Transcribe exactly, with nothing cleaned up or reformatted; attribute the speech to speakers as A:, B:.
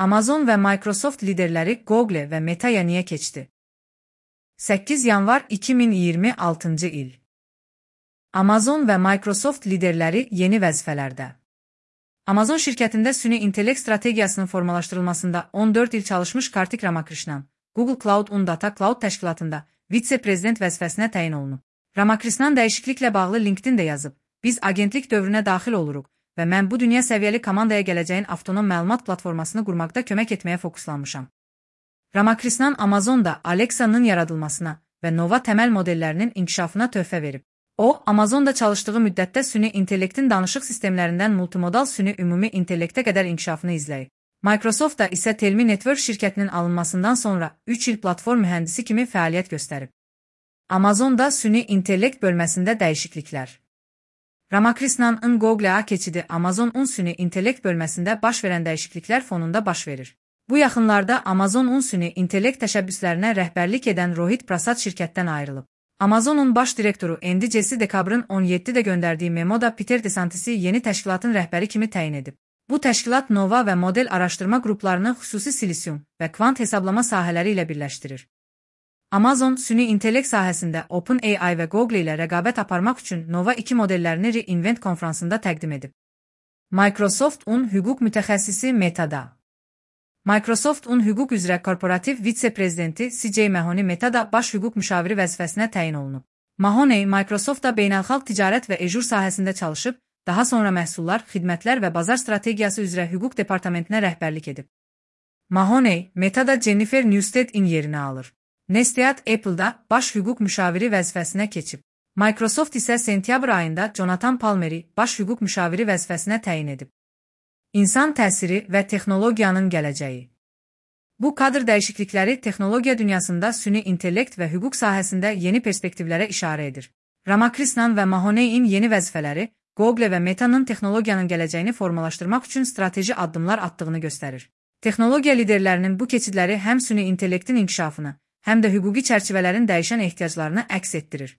A: Amazon və Microsoft liderləri Google və Meta'ya niyə keçdi? səkkiz yanvar iki min iyirmi altıncı il. Amazon və Microsoft liderləri yeni vəzifələrdə. Amazon şirkətində süni intellekt strategiyasının formalaşdırılmasında on dörd il çalışmış Kartik Ramakrishnan, Google Cloud and Data Cloud təşkilatında vitse-prezident vəzifəsinə təyin olunub. Ramakrishnan dəyişikliklə bağlı LinkedIn-də yazıb, biz agentlik dövrünə daxil oluruq və mən bu dünya səviyyəli komandaya gələcəyin avtonom məlumat platformasını qurmaqda kömək etməyə fokuslanmışam. Ramakrishnan Amazonda Alexa'nın yaradılmasına və Nova təməl modellərinin inkişafına töhfə verib. O, Amazonda çalışdığı müddətdə süni intellektin danışıq sistemlərindən multimodal süni ümumi intellektə qədər inkişafını izləyib. Microsoftda isə Telmi Network şirkətinin alınmasından sonra üç il platform mühəndisi kimi fəaliyyət göstərib. Amazonda süni intellekt bölməsində dəyişikliklər. Ramakrishnan'ın Google'a keçidi Amazon-un süni intellekt bölməsində baş verən dəyişikliklər fonunda baş verir. Bu yaxınlarda Amazon-un süni intellekt təşəbbüslərinə rəhbərlik edən Rohit Prasad şirkətdən ayrılıb. Amazon'un baş direktoru Andy Jassy dekabrın on yeddidə göndərdiyi memoda Peter DeSantis'i yeni təşkilatın rəhbəri kimi təyin edib. Bu təşkilat Nova və model araşdırma qruplarını xüsusi silisium və kvant hesablama sahələri ilə birləşdirir. Amazon, süni intellekt sahəsində OpenAI və Google ilə rəqabət aparmaq üçün Nova iki modellərini reInvent konfransında təqdim edib. Microsoft-un hüquq mütəxəssisi Meta'da. Microsoft-un hüquq üzrə korporativ vitse-prezidenti C J Mahoney Meta'da baş hüquq müşaviri vəzifəsinə təyin olunub. Mahoney, Microsoftda beynəlxalq ticarət və ejur sahəsində çalışıb, daha sonra məhsullar, xidmətlər və bazar strategiyası üzrə hüquq departamentinə rəhbərlik edib. Mahoney, Meta'da Jennifer Newsted'in yerini alır. Nestead Apple'da baş hüquq müşaviri vəzifəsinə keçib. Microsoft isə sentyabr ayında Jonathan Palmer'i baş hüquq müşaviri vəzifəsinə təyin edib. İnsan təsiri və texnologiyanın gələcəyi. Bu kadr dəyişiklikləri texnologiya dünyasında süni intellekt və hüquq sahəsində yeni perspektivlərə işarə edir. Ramakrishnan və Mahoney'in yeni vəzifələri Google və Meta'nın texnologiyanın gələcəyini formalaşdırmaq üçün strateji addımlar atdığını göstərir. Texnologiya liderlərinin bu keçidləri həm süni intellektin inkişafını, həm də hüquqi çərçivələrin dəyişən ehtiyaclarını əks etdirir.